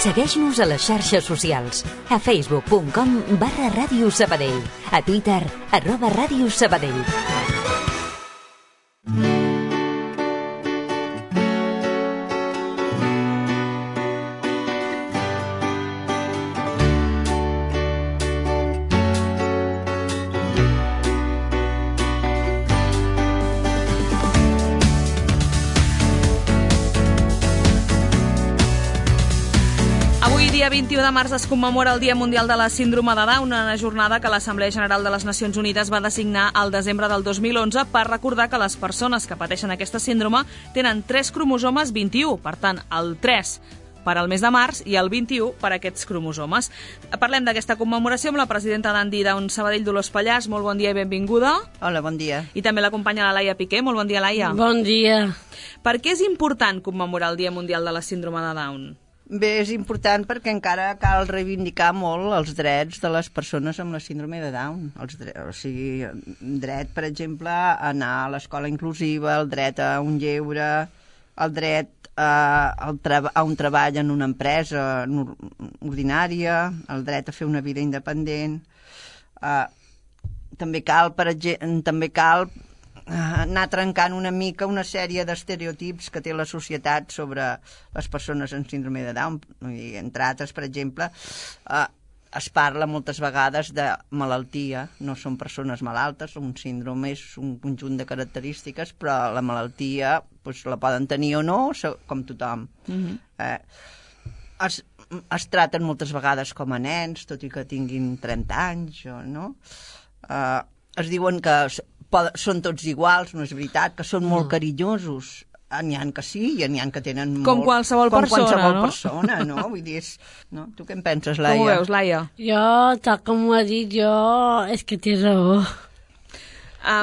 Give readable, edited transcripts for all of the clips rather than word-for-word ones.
Segueix-nos a les xarxes socials. A facebook.com/Ràdio Sabadell. A Twitter, @Ràdio Sabadell. Dia 21 de març es commemora el Dia Mundial de la Síndrome de Down, una jornada que l'Assemblea General de les Nacions Unides va designar al desembre del 2011 per recordar que les persones que pateixen aquesta síndrome tenen 3 cromosomes 21, per tant, el 3 per al mes de març i el 21 per a aquests cromosomes. Parlem d'aquesta commemoració amb la presidenta d'Andy Down Sabadell, Dolors Pallàs. Molt bon dia i benvinguda. Hola, bon dia. I també l'acompanya la Laia Piqué. Molt bon dia, Laia. Bon dia. Per què és important commemorar el Dia Mundial de la Síndrome de Down? Bé, és important perquè encara cal reivindicar molt els drets de les persones amb la síndrome de Down. O sigui, dret, per exemple, a anar a l'escola inclusiva, el dret a un lleure, el dret a un treball en una empresa ordinària, el dret a fer una vida independent. També cal anar trencant una mica una sèrie d'estereotips que té la societat sobre les persones amb síndrome de Down. I, entre altres, per exemple, es parla moltes vegades de malaltia. No són persones malaltes, un síndrome és un conjunt de característiques, però la malaltia la poden tenir o no, com tothom. Es traten moltes vegades com a nens, tot i que tinguin 30 anys, no? Es diuen que són tots iguals, no és veritat, que són molt carinyosos. N'hi ha que sí i n'hi ha que tenen com molt... Qualsevol persona, no? Vull dir, no? Tu què en penses, Laia? Com ho veus, Laia? Jo, tal com ho ha dit, és que té raó.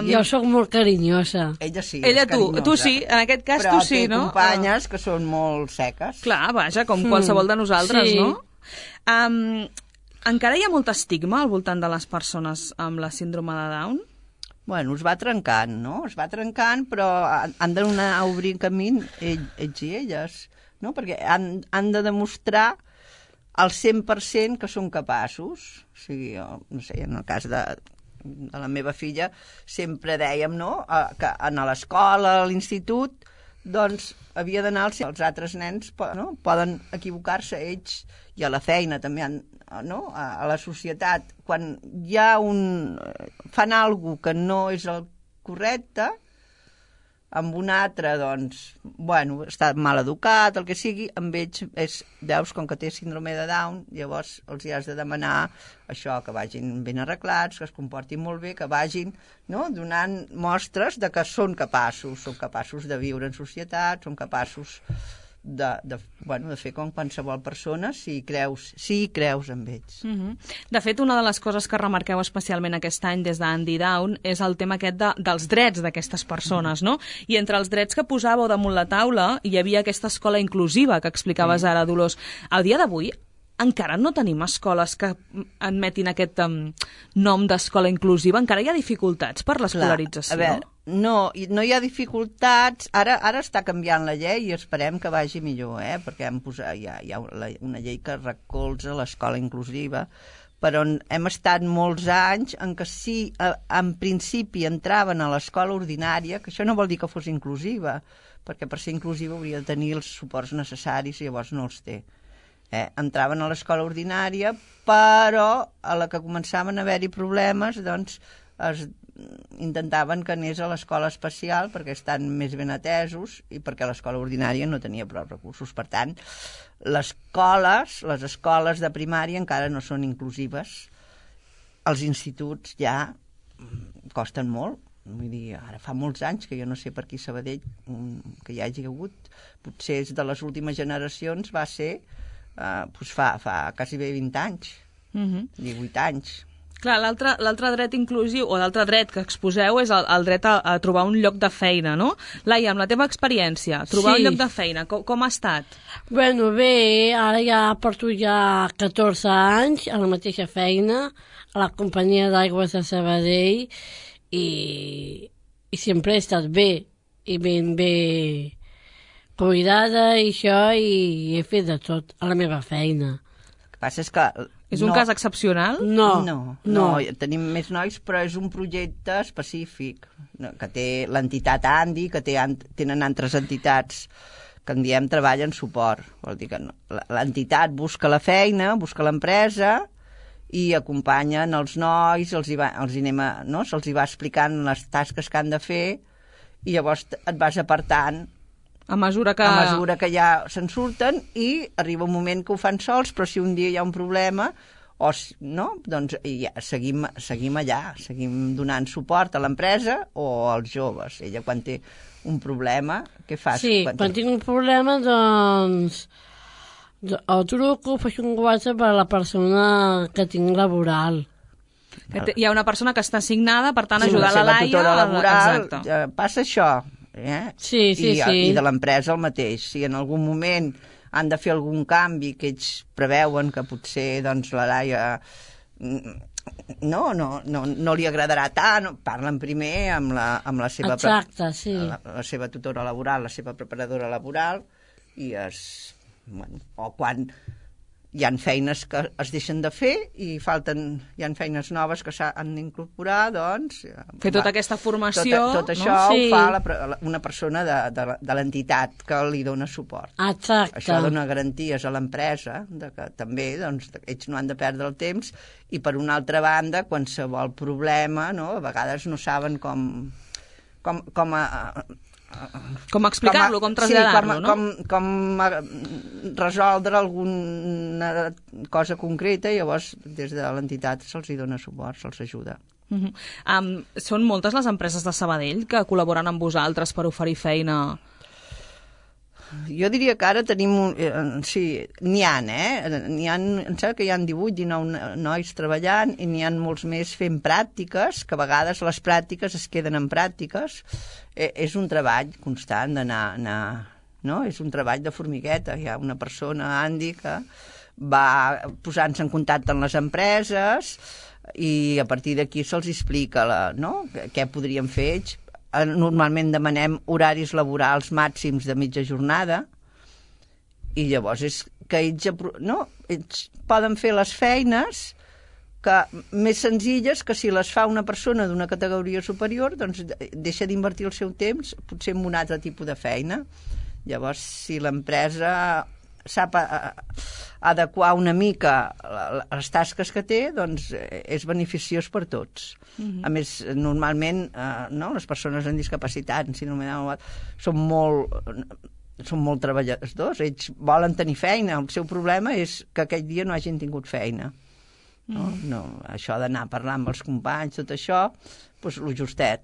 Jo sóc molt carinyosa. Ella sí, Ella tu sí, en aquest cas però tu sí, no? Però té companyes que són molt seques. Clar, vaja, com qualsevol de nosaltres, sí. No? Encara hi ha molt estigma al voltant de les persones amb la síndrome de Down? Bueno, es va trencant, no? Es va trencant, però han d'anar a obrir camí ells i elles, no? Perquè han de demostrar al 100% que són capaços. O sigui, no sé, en el cas de la meva filla, sempre dèiem, no?, que a l'escola, a l'institut, doncs havia d'anar els altres nens, no? Poden equivocar-se ells, i a la feina també, no? A la societat, quan hi ha fan alguna cosa que no és el correcte, amb un altre, doncs, bueno, està mal educat, el que sigui, amb ells veus, com que té síndrome de Down, llavors els hi has de demanar això, que vagin ben arreglats, que es comportin molt bé, que vagin, no?, donant mostres de que són capaços de viure en societat, són capaços de fer com qualsevol persona si hi creus en ells. De fet, una de les coses que remarqueu especialment aquest any des d'Andy Down és el tema aquest dels drets d'aquestes persones, no? I entre els drets que posàveu damunt la taula hi havia aquesta escola inclusiva que explicaves ara, Dolors. Al dia d'avui encara no tenim escoles que admetin aquest nom d'escola inclusiva? Encara hi ha dificultats per l'escolarització? A veure, no hi ha dificultats. Ara està canviant la llei i esperem que vagi millor, perquè hi ha una llei que recolza l'escola inclusiva, però hem estat molts anys en què sí, en principi entraven a l'escola ordinària, que això no vol dir que fos inclusiva, perquè per ser inclusiva hauria de tenir els suports necessaris i llavors no els té. Entraven a l'escola ordinària, però a la que començaven a haver-hi problemes, doncs intentaven que anés a l'escola especial perquè estan més ben atesos i perquè l'escola ordinària no tenia prou recursos. Per tant, les escoles de primària encara no són inclusives. Els instituts ja costen molt. Vull dir, ara fa molts anys que jo no sé per aquí a Sabadell que hi hagi hagut. Potser és de les últimes generacions, va ser fa quasi bé 20 anys, 18 anys. Clar, l'altre dret inclusiu, o l'altre dret que exposeu és el dret a trobar un lloc de feina, no? Laia, amb la teva experiència, trobar un lloc de feina, com ha estat? Bueno, bé, ara ja porto 14 anys a la mateixa feina, a la companyia d'aigües de Sabadell, i sempre he estat bé, i ben bé cuidada i això, i he fet de tot a la meva feina. El que passa és que... És un cas excepcional? No, tenim més nois, però és un projecte específic que té l'entitat Andi, que tenen altres entitats que en diem treball en suport. Vol dir que l'entitat busca la feina, busca l'empresa i acompanyen els nois, se'ls hi va explicant les tasques que han de fer i llavors et vas apartant a mesura que ja se'n surten i arriba un moment que ho fan sols, però si un dia hi ha un problema doncs ja seguim allà, seguim donant suport a l'empresa o als joves. Ella quan té un problema, què fas? Sí, quan tinc un problema, doncs o truco, faig un WhatsApp a la persona que tinc laboral. Hi ha una persona que està assignada, per tant, ajudar la Laia... tutora laboral, passa això. Sí. I de l'empresa el mateix. Si en algun moment han de fer algun canvi que ells preveuen que potser doncs, la Laia no li agradarà tant, parlen primer amb la seva... Exacte, sí. La seva tutora laboral, la seva preparadora laboral, i o quan hi ha feines que es deixen de fer i hi ha feines noves que s'han d'incorporar, doncs... Fer tota aquesta formació... Tot això ho fa una persona de l'entitat que li dona suport. Exacte. Això dona garanties a l'empresa, que també ells no han de perdre el temps, i per una altra banda, qualsevol problema, a vegades no saben com explicar-lo, com traslladar-lo, no? Com resoldre alguna cosa concreta, i llavors des de l'entitat se'ls hi dona suport, se'ls ajuda. Són moltes les empreses de Sabadell que col·laboren amb vosaltres per oferir feina? Jo diria que ara tenim... Sí, n'hi ha, em sembla que hi ha 18, 19 nois treballant i n'hi ha molts més fent pràctiques, que a vegades les pràctiques es queden en pràctiques. És un treball constant d'anar... És un treball de formigueta. Hi ha una persona, Andy, que va posant-se en contacte amb les empreses i a partir d'aquí se'ls explica què podrien fer ells. Normalment demanem horaris laborals màxims de mitja jornada i llavors és que ells poden fer les feines més senzilles que si les fa una persona d'una categoria superior, doncs deixa d'invertir el seu temps potser en un altre tipus de feina. Llavors, si l'empresa sap adequar una mica les tasques que té, doncs és beneficiós per tots. A més, normalment les persones amb discapacitat són molt treballadors, ells volen tenir feina, el seu problema és que aquell dia no hagin tingut feina. Això d'anar a parlar amb els companys, tot això, doncs lo justet.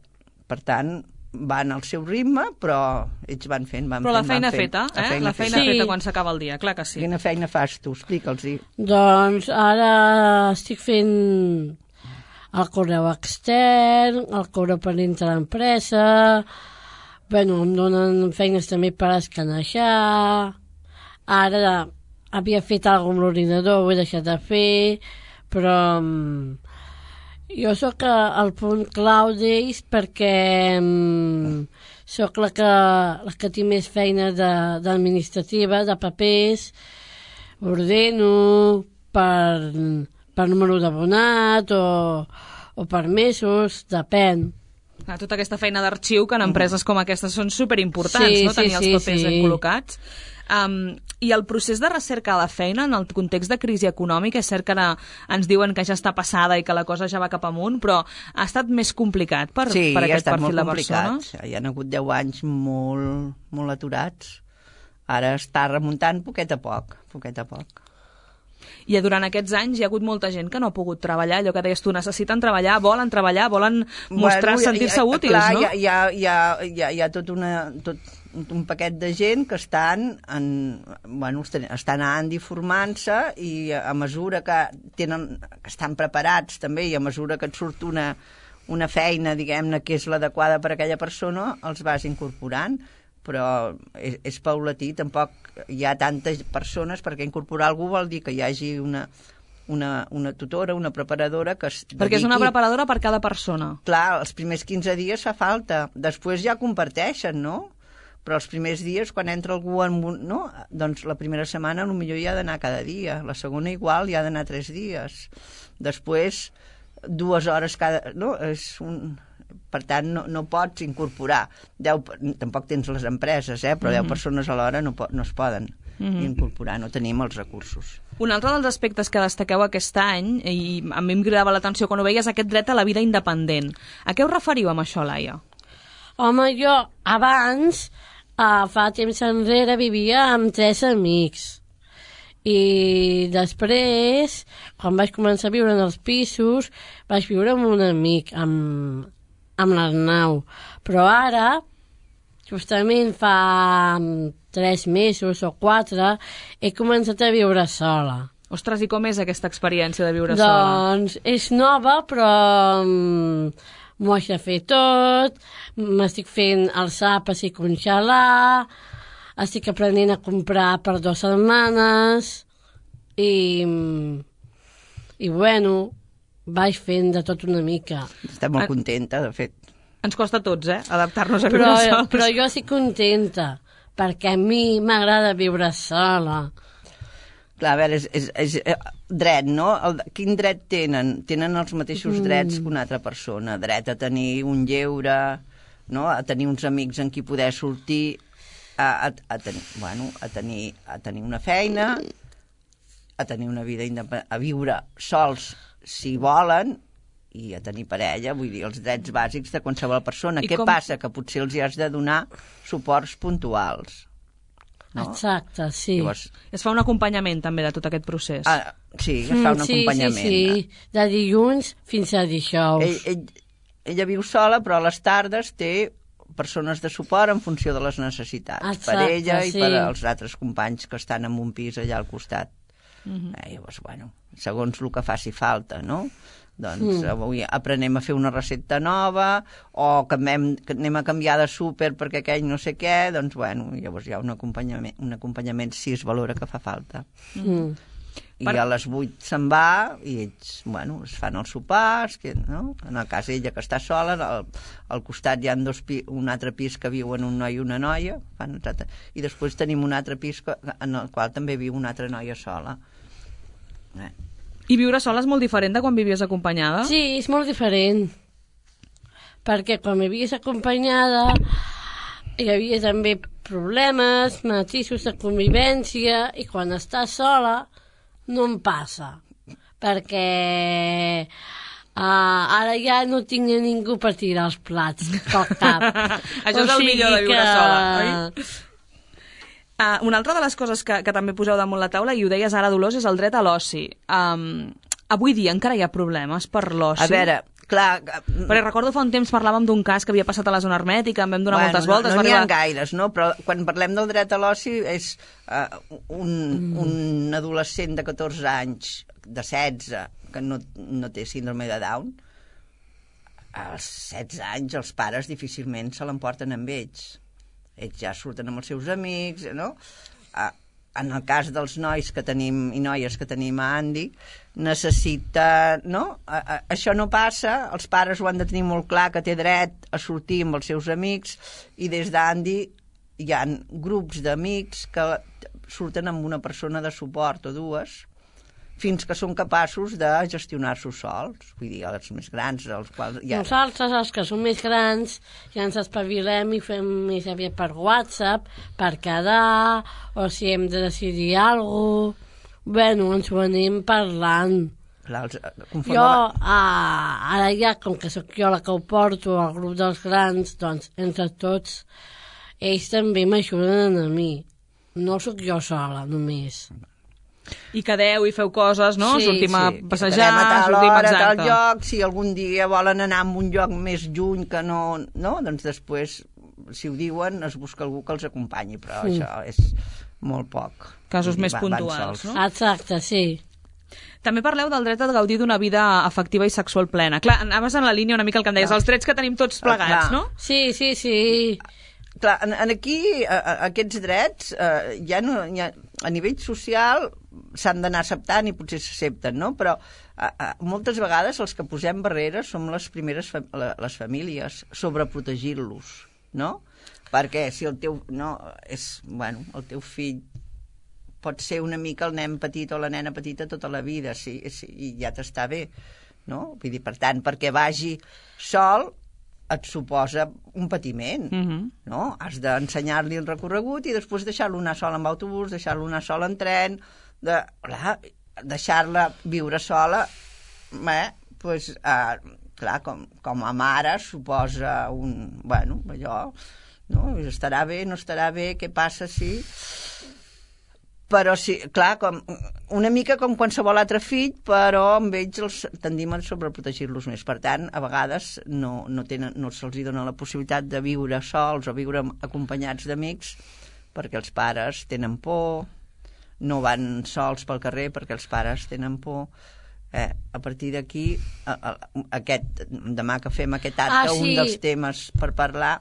Per tant, van al seu ritme, però ells van fent. Però la feina feta, la feina feta quan s'acaba el dia, clar que sí. Quina feina fas tu? Explica'ls-hi. Doncs ara estic fent el correu extern, el correu per dintre l'empresa, em donen feines també per escanejar. Ara havia fet alguna cosa amb l'ordinador, ho he deixat de fer, però jo sóc el punt clau d'ells perquè sóc la que tinc més feina d'administrativa, de papers, ordeno per número d'abonat o per mesos, depèn. Tota aquesta feina d'arxiu que en empreses com aquestes són superimportants, tenir els papers ben col·locats. I el procés de recerca de la feina en el context de crisi econòmica, és cert que ara ens diuen que ja està passada i que la cosa ja va cap amunt, però ha estat més complicat per aquest perfil de persones? Hi ha hagut 10 anys molt aturats. Ara està remuntant poquet a poc. I durant aquests anys hi ha hagut molta gent que no ha pogut treballar, allò que deies tu, necessiten treballar, volen mostrar, sentir-se útils, no? Hi ha tot un paquet de gent que estan anant i formant-se i a mesura que estan preparats també i a mesura que et surt una feina, diguem-ne, que és l'adequada per a aquella persona, els vas incorporant, però és paulatí, tampoc hi ha tantes persones, perquè incorporar algú vol dir que hi hagi una tutora, una preparadora que es dediqui... Perquè és una preparadora per cada persona. Clar, els primers 15 dies fa falta, després ja comparteixen, no? Però els primers dies, quan entra algú no? Doncs la primera setmana potser hi ha d'anar cada dia, la segona igual hi ha d'anar 3 dies. Després, 2 hores cada... No? Per tant, no pots incorporar 10, tampoc tens les empreses, però 10 persones a l'hora no es poden incorporar, no tenim els recursos. Un altre dels aspectes que destaqueu aquest any, i a mi em cridava l'atenció quan ho veies, aquest dret a la vida independent. A què us referiu amb això, Laia? Home, jo abans, fa temps enrere, vivia amb 3 amics. I després, quan vaig començar a viure en els pisos, vaig viure amb un amic, amb l'Arnau. Però ara, justament fa 3 mesos o 4, he començat a viure sola. Ostres, i com és aquesta experiència de viure sola? Doncs és nova, però m'ho haig de fer tot, m'estic fent els àpats i congelar, estic aprenent a comprar per 2 setmanes i bueno, vaig fent de tot una mica. Està molt contenta, de fet. Ens costa a tots, adaptar-nos a viure sols. Però jo estic contenta, perquè a mi m'agrada viure sola. Clar, a veure, és dret, no? Quin dret tenen? Tenen els mateixos drets que una altra persona. Dret a tenir un lleure, no? A tenir uns amics en qui poder sortir, a tenir una feina, a tenir una vida independent, a viure sols si volen, i a tenir parella, vull dir, els drets bàsics de qualsevol persona. Què passa? Que potser els hi has de donar suports puntuals. No? Exacte, sí. Llavors, es fa un acompanyament també de tot aquest procés. Sí, es fa un acompanyament. Sí, de dilluns fins a dijous. Ella viu sola, però a les tardes té persones de suport en funció de les necessitats. Exacte, per ella i per als altres companys que estan en un pis allà al costat. Llavors, bueno, segons el que faci falta, no? Doncs avui aprenem a fer una recepta nova, o que anem a canviar de súper perquè aquell no sé què, doncs bueno, llavors hi ha un acompanyament si es valora que fa falta. I a les 8 se'n va i ells, bueno, es fan els sopars, no? En el cas ella que està sola, al costat hi ha un altre pis que viuen un noi i una noia, i després tenim un altre pis en el qual també viu una altra noia sola. I viure sola és molt diferent de quan vivies acompanyada? Sí, és molt diferent. Perquè quan vivies acompanyada hi havia també problemes, matisos de convivència, i quan estàs sola no em passa. Perquè ara ja no tinc ningú per tirar els plats pel cap. Això és el millor de viure sola, oi? Una altra de les coses que també poseu damunt la taula, i ho deies ara, Dolors, és el dret a l'oci. Avui dia encara hi ha problemes per l'oci? A veure, clar... Perquè recordo fa un temps parlàvem d'un cas que havia passat a la zona hermètica, en vam donar moltes voltes. No n'hi ha gaires, no? Però quan parlem del dret a l'oci és un adolescent de 14 anys, de 16, que no té síndrome de Down. Als 16 anys els pares difícilment se l'emporten amb ells. Ells ja surten amb els seus amics, no? En el cas dels nois que tenim i noies que tenim a Andy, necessita, no? Això no passa, els pares ho han de tenir molt clar, que té dret a sortir amb els seus amics, i des d'Andy hi ha grups d'amics que surten amb una persona de suport o dues, fins que són capaços de gestionar-s'ho sols. Vull dir, els més grans, els quals... Nosaltres, els que som més grans, ja ens espavilem i fem més aviat per WhatsApp, per quedar, o si hem de decidir alguna cosa. Bueno, ens ho anem parlant. Clar, jo, ara ja, com que sóc jo la que ho porto al grup dels grans, doncs, entre tots, ells també m'ajuden a mi. No sóc jo sola, només. I quedeu i feu coses, no? Sí, sortim a passejar, a tal hora, exacte. a tal lloc, si algun dia volen anar a un lloc més lluny que no, doncs després, si ho diuen, es busca algú que els acompanyi, però això és molt poc. Casos més puntuals, no? Exacte, sí. També parleu del dret a gaudir d'una vida afectiva i sexual plena. Clar, anaves en la línia una mica el que em deies, els drets que tenim tots plegats, no? Sí. Clar, aquí aquests drets ja no, a nivell social s'han d'anar acceptant i potser s'accepten, no? Però moltes vegades els que posem barreres som les primeres les famílies, sobreprotegir-los, no? perquè si el teu... No, el teu fill pot ser una mica el nen petit o la nena petita tota la vida, i ja t'està bé, no? Vull dir, per tant, perquè vagi sol et suposa un patiment, no? Has d'ensenyar-li el recorregut i després deixar-lo anar sol amb autobús, deixar-lo anar sol en tren, deixar-la viure sola, doncs, clar, com a mare suposa allò, no? Estarà bé, no estarà bé, què passa si... Però sí, clar, una mica com qualsevol altre fill, però amb ells tendim a sobreprotegir-los més. Per tant, a vegades no se'ls dona la possibilitat de viure sols o viure acompanyats d'amics perquè els pares tenen por, no van sols pel carrer perquè els pares tenen por. A partir d'aquí, demà que fem aquest acte, un dels temes per parlar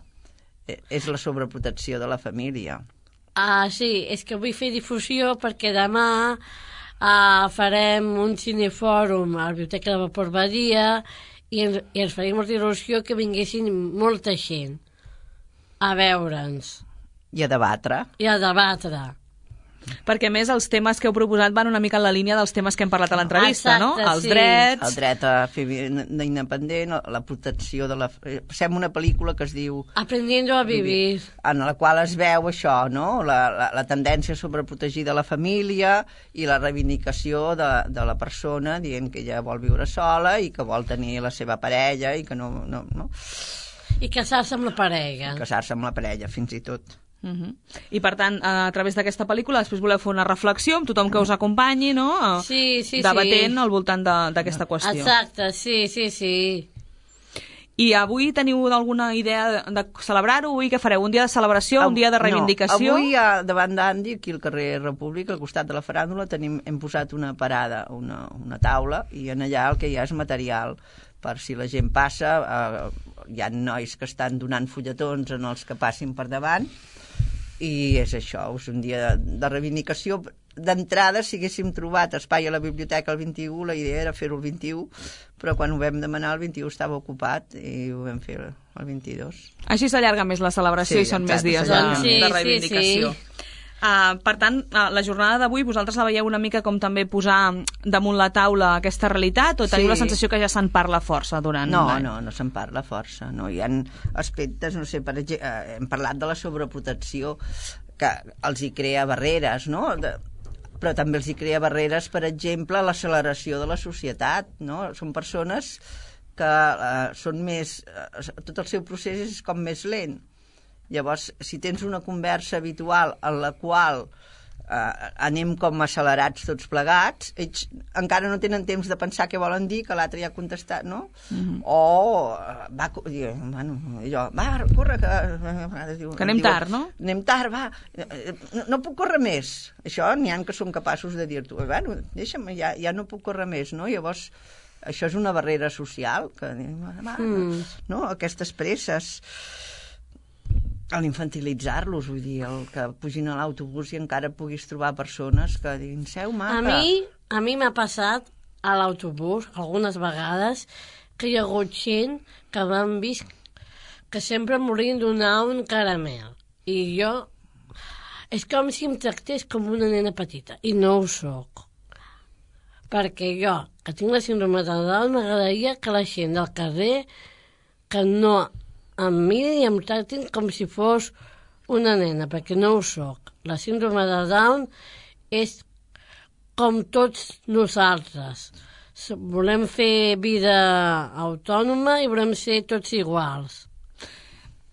és la sobreprotecció de la família. Sí, és que vull fer difusió perquè demà farem un cinefòrum a la Biblioteca de Vapor Badia i ens faria molta il·lusió que vinguessin molta gent a veure'ns. I a debatre. Perquè, a més, els temes que heu proposat van una mica en la línia dels temes que hem parlat a l'entrevista, no? Els drets... El dret a fer vida independent, la protecció de la... Fem una pel·lícula que es diu... Aprendiendo a vivir. En la qual es veu això, no? La tendència a sobreprotegir de la família i la reivindicació de la persona dient que ella vol viure sola i que vol tenir la seva parella i que no... I casar-se amb la parella. Casar-se amb la parella, fins i tot. I per tant, a través d'aquesta pel·lícula després voleu fer una reflexió amb tothom que us acompanyi, no? Sí. Debatent al voltant d'aquesta qüestió. Exacte, sí. I avui teniu alguna idea de celebrar-ho? Avui què fareu? Un dia de celebració, un dia de reivindicació? No, avui davant d'Andi, aquí al carrer República, al costat de la faràndula, hem posat una parada, una taula, i en allà el que hi ha és material per si la gent passa. Hi ha nois que estan donant fulletons en els que passin per davant, i és això, és un dia de reivindicació. D'entrada, si haguéssim trobat espai a la biblioteca el 21, la idea era fer-ho el 21, però quan ho vam demanar el 21 estava ocupat i ho vam fer el 22. Així s'allarga més la celebració, i són més dies de reivindicació. Per tant, la jornada d'avui vosaltres la veieu una mica com també posar damunt la taula aquesta realitat, o teniu la sensació que ja se'n parla força durant l'any? No se'n parla força. No? Hi ha aspectes, no sé, per exemple, hem parlat de la sobreprotecció que els hi crea barreres, no? Però també els hi crea barreres, per exemple, l'acceleració de la societat, no? Són persones que són més... tot el seu procés és com més lent. Llavors, si tens una conversa habitual en la qual anem com accelerats tots plegats, ells encara no tenen temps de pensar què volen dir, que l'altre ja ha contestat, no? O corre, que anem tard, no? Anem tard, va, no puc córrer més. Això n'hi ha que són capaços de dir-t'ho, deixa'm, ja no puc córrer més, no? Llavors, això és una barrera social, que, no? Aquestes presses, a l'infantilitzar-los, vull dir, el que pugin a l'autobús i encara puguis trobar persones que diguin, seu maca. A mi m'ha passat a l'autobús algunes vegades que hi ha hagut gent que m'han vist que sempre m'haurien donar un caramel. I jo... És com si em tractés com una nena petita, i no ho soc. Perquè jo, que tinc la síndrome de Down, m'agradaria que la gent del carrer que no em mirin i em tractin com si fos una nena, perquè no ho soc. La síndrome de Down és com tots nosaltres. Volem fer vida autònoma i volem ser tots iguals.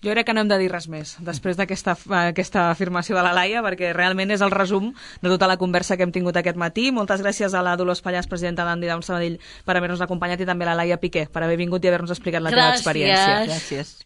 Jo crec que no hem de dir res més després d'aquesta afirmació de la Laia, perquè realment és el resum de tota la conversa que hem tingut aquest matí. Moltes gràcies a la Dolors Pallàs, presidenta d'Andi Down Sabadell, per haver-nos acompanyat, i també a la Laia Piqué per haver vingut i haver-nos explicat la teva experiència. Gràcies.